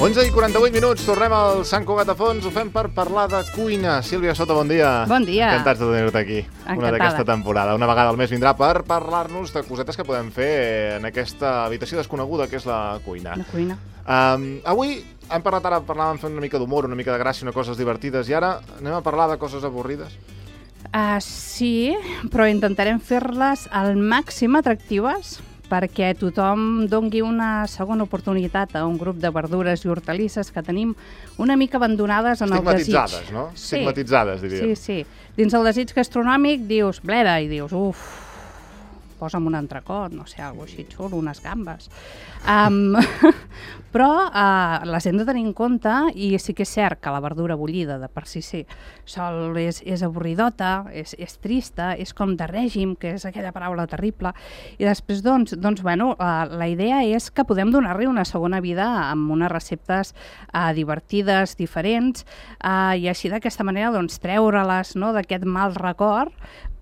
11:48, tornem al Sant Cugat a Fons, ho fem per parlar de cuina. Sílvia Soto, bon dia. Bon dia. Encantats de tenir-te aquí. Encantada. Una d'aquesta temporada. Una vegada al mes vindrà per parlar-nos de cosetes que podem fer en aquesta habitació desconeguda que és la cuina. La cuina. Avui hem parlat, ara parlàvem fent una mica d'humor, una mica de gràcia, una coses divertides, i ara anem a parlar de coses avorrides. Sí, però intentarem fer-les al màxim atractives perquè tothom dongui una segona oportunitat a un grup de verdures i hortalisses que tenim una mica abandonades en el desig. Estigmatitzades, no? Sí. Estigmatitzades, diríem. Sí. Dins el desig gastronòmic dius bleda i dius posa'm un entrecot, no sé, alguna cosa així xulo, unes gambes. Però les hem de tenir en compte i sí que és cert que la verdura bullida de per si sol és avorridota, és trista, és com de règim, que és aquella paraula terrible, i després, bueno, la idea és que podem donar-li una segona vida amb unes receptes divertides, diferents, i així d'aquesta manera treure-les d'aquest mal record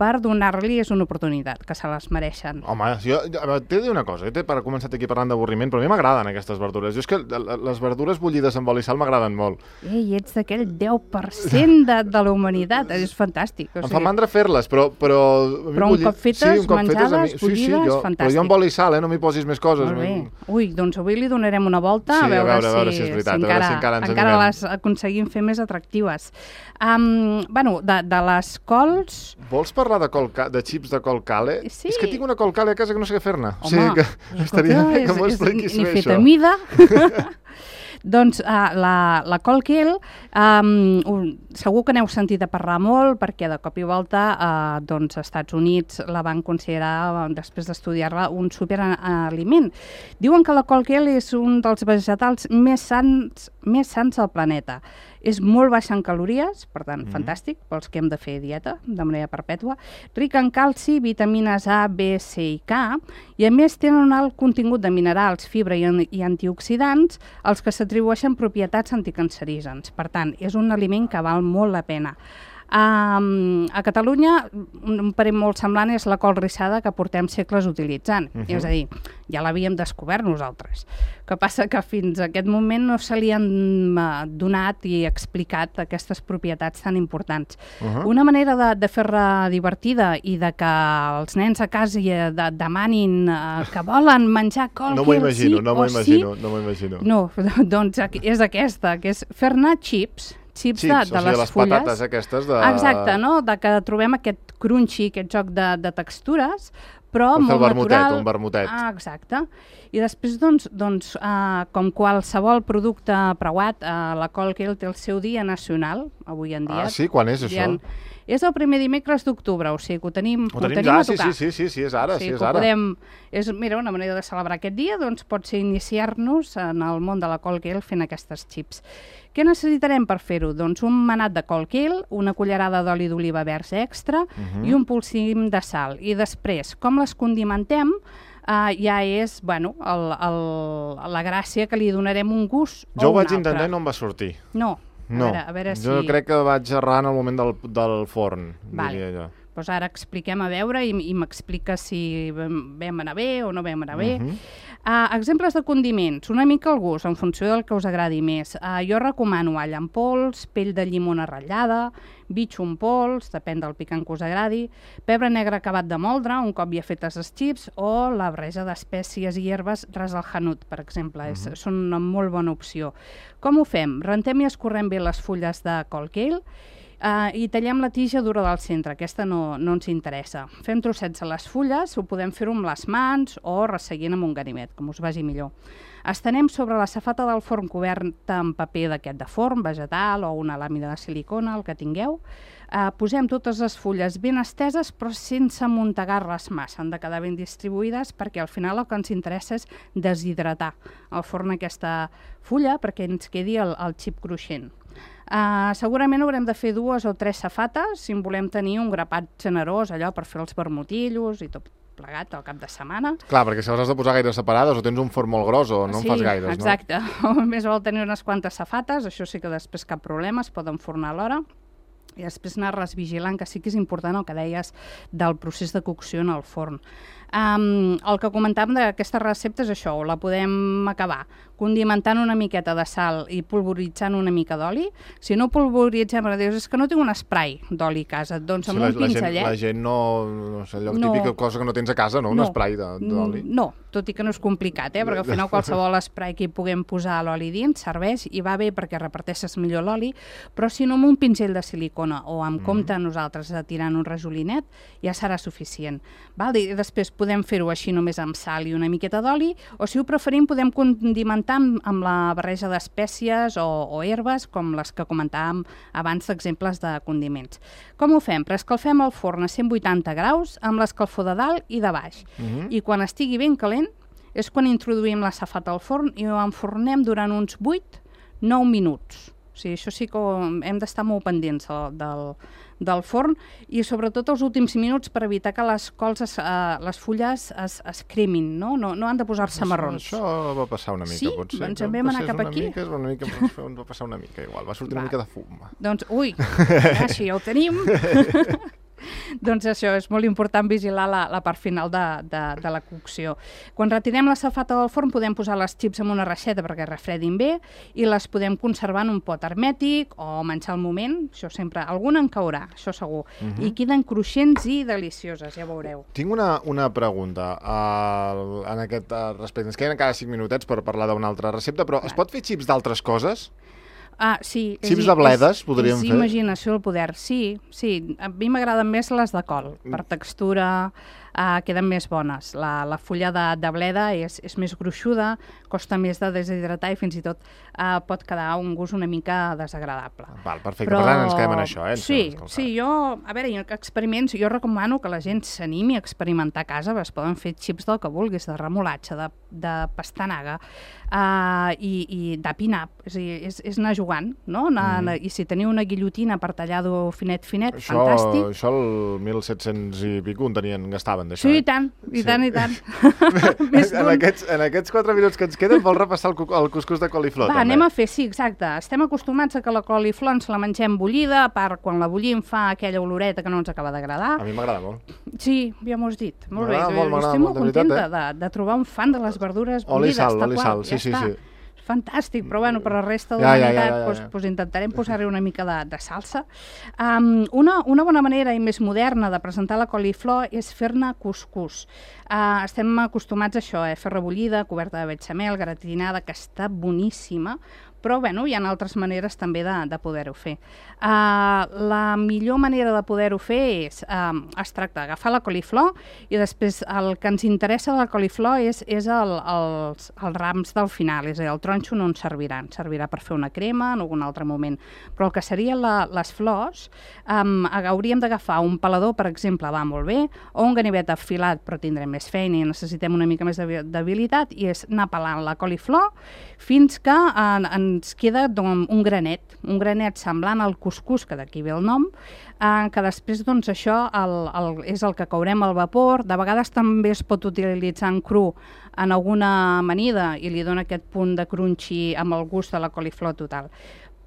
per donar-los una oportunitat, que se les mereixen. Home, t'he de dir una cosa, per començar aquí parlant d'avorriment, però a mi m'agraden aquestes verdures. Jo és que les verdures bullides amb oli i sal m'agraden molt. Ei, ets d'aquell 10% de la humanitat, és fantàstic. Em fa mandra fer-les, però un cop fetes, menjades, bullides, fantàstic. Però jo amb oli i sal, no m'hi posis més coses. Molt bé. Ui, doncs avui li donarem una volta a veure si és veritat, encara les aconseguim fer més atractives. Bueno, de les cols... Vols parlar de xips de col cale? Sí. És que tinc una col cale a casa que no sé què fer-ne. Home, o sigui que estaria bé que m'ho expliquis bé, això. Ni feta mida. Doncs la col Kale segur que n'heu sentit a parlar molt perquè de cop i volta als Estats Units la van considerar, després d'estudiar-la, un superaliment. Diuen que la col Kale és un dels vegetals més sants al planeta. És molt baixa en calories, per tant, fantàstic, pels que hem de fer dieta de manera perpètua, ric en calci, vitamines A, B, C i K, i a més tenen un alt contingut de minerals, fibra i antioxidants, els que s'atribueixen propietats anticancerígens. Per tant, és un aliment que val molt la pena. A Catalunya, un parent molt semblant és la col rissada que portem segles utilitzant. És a dir, ja l'havíem descobert nosaltres. El que passa que fins a aquest moment no se li han donat i explicat aquestes propietats tan importants. Una manera de fer-la divertida i de que els nens a casa demanin que volen menjar col no m'ho imagino. No, doncs és aquesta, que és fer-ne xips de les fulles. Patates aquestes de... Exacte, no? De que trobem aquest crunchy, aquest joc de textures, però molt natural. Un vermutet. Exacte. I després, com qualsevol producte preuat, la col Kale té el seu dia nacional, avui en dia. Sí? Quan és això? És el primer dimecres d'octubre, o sigui que ho tenim a tocar. Sí, és ara. Mira, una manera de celebrar aquest dia pot ser iniciar-nos en el món de la col Kale fent aquestes xips. Què necessitarem per fer-ho? Doncs un manat de col Kale, una cullerada d'oli d'oliva verds extra i un polsim de sal. I després, com les condimentem, ja és, la gràcia que li donarem un gust o un altre. Jo ho vaig intentar i no em va sortir. No. A veure si... Jo crec que vaig errar en el moment del forn, diria jo. Doncs ara expliquem a veure i m'expliques si vam anar bé o no vam anar bé. Exemples de condiments, una mica al gust, en funció del que us agradi més. Jo recomano all en pols, pell de llimona ratllada, bitxo en pols, depèn del picant que us agradi, pebre negre acabat de moldre, un cop ja fetes els xips, o la barreja d'espècies i herbes ras al hanut, per exemple. Són una molt bona opció. Com ho fem? Rentem i escorrem bé les fulles de col Kale i tallem la tija dura del centre, aquesta no ens interessa. Fem trossets a les fulles, ho podem fer amb les mans o resseguint amb un ganivet, com us vagi millor. Estenem sobre la safata del forn coberta amb paper d'aquest de forn, vegetal o una làmina de silicona, el que tingueu. Posem totes les fulles ben esteses però sense amuntegar-les massa, han de quedar ben distribuïdes perquè al final el que ens interessa és deshidratar al forn aquesta fulla perquè ens quedi el xip cruixent. Segurament haurem de fer 2 o 3 safates si en volem tenir un grapat generós, allò per fer els vermutillos i tot plegat al cap de setmana. Clar, perquè si les has de posar gaire separades o tens un forn molt gros o no en fas gaires, no? Sí, exacte. Més val tenir unes quantes safates, això sí que després cap problema, es poden fornar alhora. I després anar-les vigilant, que sí que és important el que deies del procés de cocció en el forn. El que comentàvem d'aquesta recepta és això, la podem acabar condimentant una miqueta de sal i polvoritzant una mica d'oli. Si no polvoritzem, dius, és que no tinc un spray d'oli a casa, doncs amb un pinzellet... La gent no sé, allò típica cosa que no tens a casa, no? Un spray d'oli. No, tot i que no és complicat, perquè al final qualsevol spray que hi puguem posar l'oli dins serveix i va bé perquè reparteixes millor l'oli, però si no amb un pinzell de silicona o amb compte nosaltres tirant un rajolinet, ja serà suficient. I després podem fer-ho així només amb sal i una miqueta d'oli, o si ho preferim podem condimentar amb la barreja d'espècies o herbes, com les que comentàvem abans d'exemples de condiments. Com ho fem? Preescalfem el forn a 180 graus amb l'escalfor de dalt i de baix. I quan estigui ben calent és quan introduïm la safata al forn i ho enfornem durant uns 8-9 minuts. O sigui, això sí que hem d'estar molt pendents del forn i sobretot els últims minuts per evitar que les cols, les fulles es cremin, no han de posar-se marrons. Això va passar una mica, potser. Sí? Doncs en vam anar cap aquí. Ens va passar una mica igual, va sortir una mica de fum. Doncs, si ja ho tenim... Doncs això, és molt important vigilar la part final de la cocció. Quan retirem la safata del forn podem posar les xips en una reixeta perquè refredin bé i les podem conservar en un pot hermètic o menjar al moment, això sempre, alguna en caurà, això segur, i queden cruixents i delicioses, ja veureu. Tinc una pregunta en aquest respecte. Ens queden encara 5 minutets per parlar d'una altra recepta, però es pot fer xips d'altres coses? Sí. Xips de bledes podríem fer? És imaginació al poder, sí. A mi m'agraden més les de col, per textura queden més bones. La fulla de bleda és més gruixuda, costa més de deshidratar i fins i tot pot quedar un gust una mica desagradable. Perfecte, per tant ens quedem en això. Sí, experiments, jo recomano que la gent s'animi a experimentar a casa, es poden fer xips del que vulguis, de remolatxa, de pastanaga i de pin-up, és anar jugant, no? I si teniu una guillotina per tallar-ho finet, fantàstic. Això el 1700 i pico en tenien, gastaven d'això. Sí, i tant. En aquests 4 minuts que ens queden, vols repassar el cuscús de coliflor? Anem a fer, sí, exacte. Estem acostumats a que la coliflor ens la mengem bullida, a part quan la bullim fa aquella oloreta que no ens acaba d'agradar. A mi m'agrada molt. Sí, ja m'ho has dit. Molt bé. Estic molt contenta de trobar un fan de les verdures bullides. Oli i sal, sí. Fantàstic, però bueno, per la resta de l'humanitat intentarem posar-hi una mica de salsa. Una bona manera i més moderna de presentar la coliflor és fer-ne cuscús. Estem acostumats a això, fer rebullida, coberta de bechamel, gratinada, que està boníssima, però bueno, hi ha altres maneres també de poder-ho fer. La millor manera de poder-ho fer es tracta d'agafar la coliflor i després el que ens interessa de la coliflor és els rams del final, és a dir, el tronxo no ens servirà per fer una crema en algun altre moment, però el que serien les flors hauríem d'agafar un pelador, per exemple, va molt bé, o un ganivet afilat, però tindrem més feina i necessitem una mica més d'habilitat, i és anar pelant la coliflor fins que ens queda un granet semblant al cuscús, que d'aquí ve el nom, que després això és el que courem al vapor. De vegades també es pot utilitzar en cru en alguna amanida i li dona aquest punt de crunchy amb el gust de la coliflor total.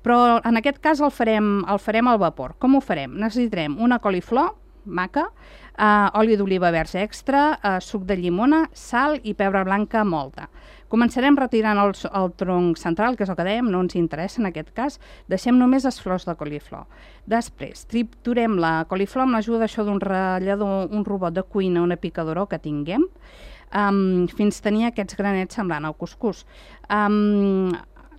Però en aquest cas el farem al vapor. Com ho farem? Necessitarem una coliflor maca, oli d'oliva verge extra, suc de llimona, sal i pebre blanca molta. Començarem retirant el tronc central, que és el que dèiem, no ens interessa en aquest cas, deixem només les flors de coliflor. Després, triturem la coliflor amb l'ajuda d'un ratllador, un robot de cuina, una picadora que tinguem, fins tenir aquests granets semblant al cuscús.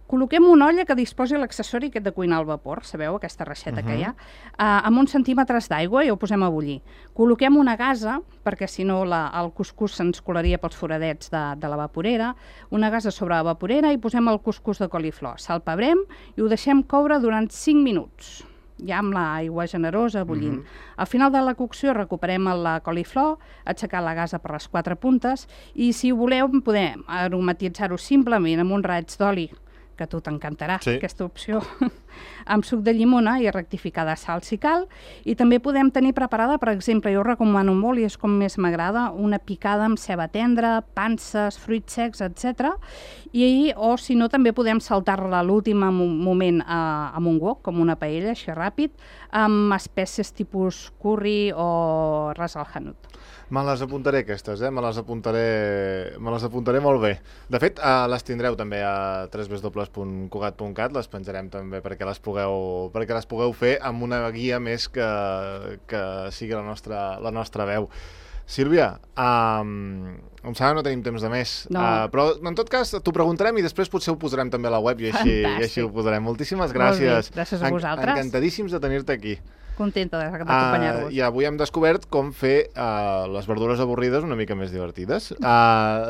Col·loquem una olla que disposi l'accessori aquest de cuinar al vapor, sabeu, aquesta reixeta que hi ha, amb uns centímetres d'aigua i ho posem a bullir. Col·loquem una gasa, perquè si no el cuscús se'ns colaria pels foradets de la vaporera, una gasa sobre la vaporera i posem el cuscús de coliflor. Salpebrem i ho deixem coure durant 5 minuts, ja amb l'aigua generosa bullint. Al final de la cocció recuperem la coliflor, aixecar la gasa per les 4 puntes i si voleu podem aromatitzar-ho simplement amb un raig d'oli, que a tu t'encantarà, aquesta opció, amb suc de llimona i rectificar de sal si cal, i també podem tenir preparada, per exemple, jo recomano molt i és com més m'agrada, una picada amb ceba tendra, panses, fruits secs, etc. O si no, també podem saltar-la a l'últim moment amb un wok, com una paella, així ràpid, amb espècies tipus curri o ras al hanout. Me les apuntaré aquestes, me les apuntaré molt bé. De fet, les tindreu també a www.cugat.cat, les penjarem també perquè les pugueu fer amb una guia més que sigui la nostra veu. Sílvia, em sembla que no tenim temps de més, però en tot cas t'ho preguntarem i després potser ho posarem també a la web i així ho posarem. Moltíssimes gràcies. Gràcies a vosaltres. Encantadíssims de tenir-te aquí. Contenta d'acompanyar-vos. I avui hem descobert com fer les verdures avorrides una mica més divertides.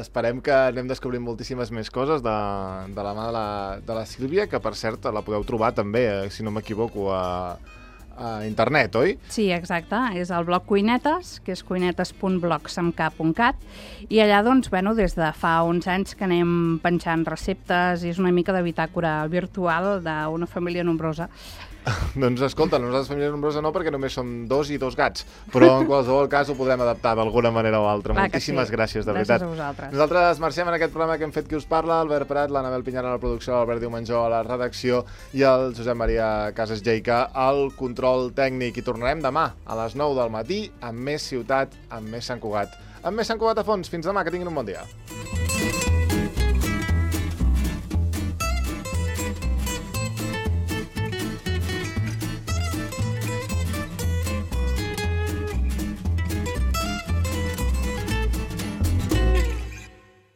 Esperem que anem descobrint moltíssimes més coses de la mà de la Sílvia, que per cert la podeu trobar també, si no m'equivoco, a internet, oi? Sí, exacte. És el blog Cuinetes, que és cuinetes.blogsamk.cat, i allà, doncs, des de fa uns anys que anem penjant receptes i és una mica de bitàcora virtual d'una família nombrosa. Doncs escolta, nosaltres família nombrosa no, perquè només som 2 i 2 gats, però en qualsevol cas ho podrem adaptar d'alguna manera o altra. Moltíssimes gràcies, de veritat. Gràcies a vosaltres. Nosaltres marxem en aquest programa que hem fet Qui us parla, Albert Prat, l'Anabel Pinyar a la producció, l'Albert Diumenjó a la redacció i el Josep Maria Casas Geica al control tècnic. I tornarem demà a les 9 del matí amb més ciutat, amb més Sant Cugat. Amb més Sant Cugat a fons. Fins demà, que tinguin un bon dia.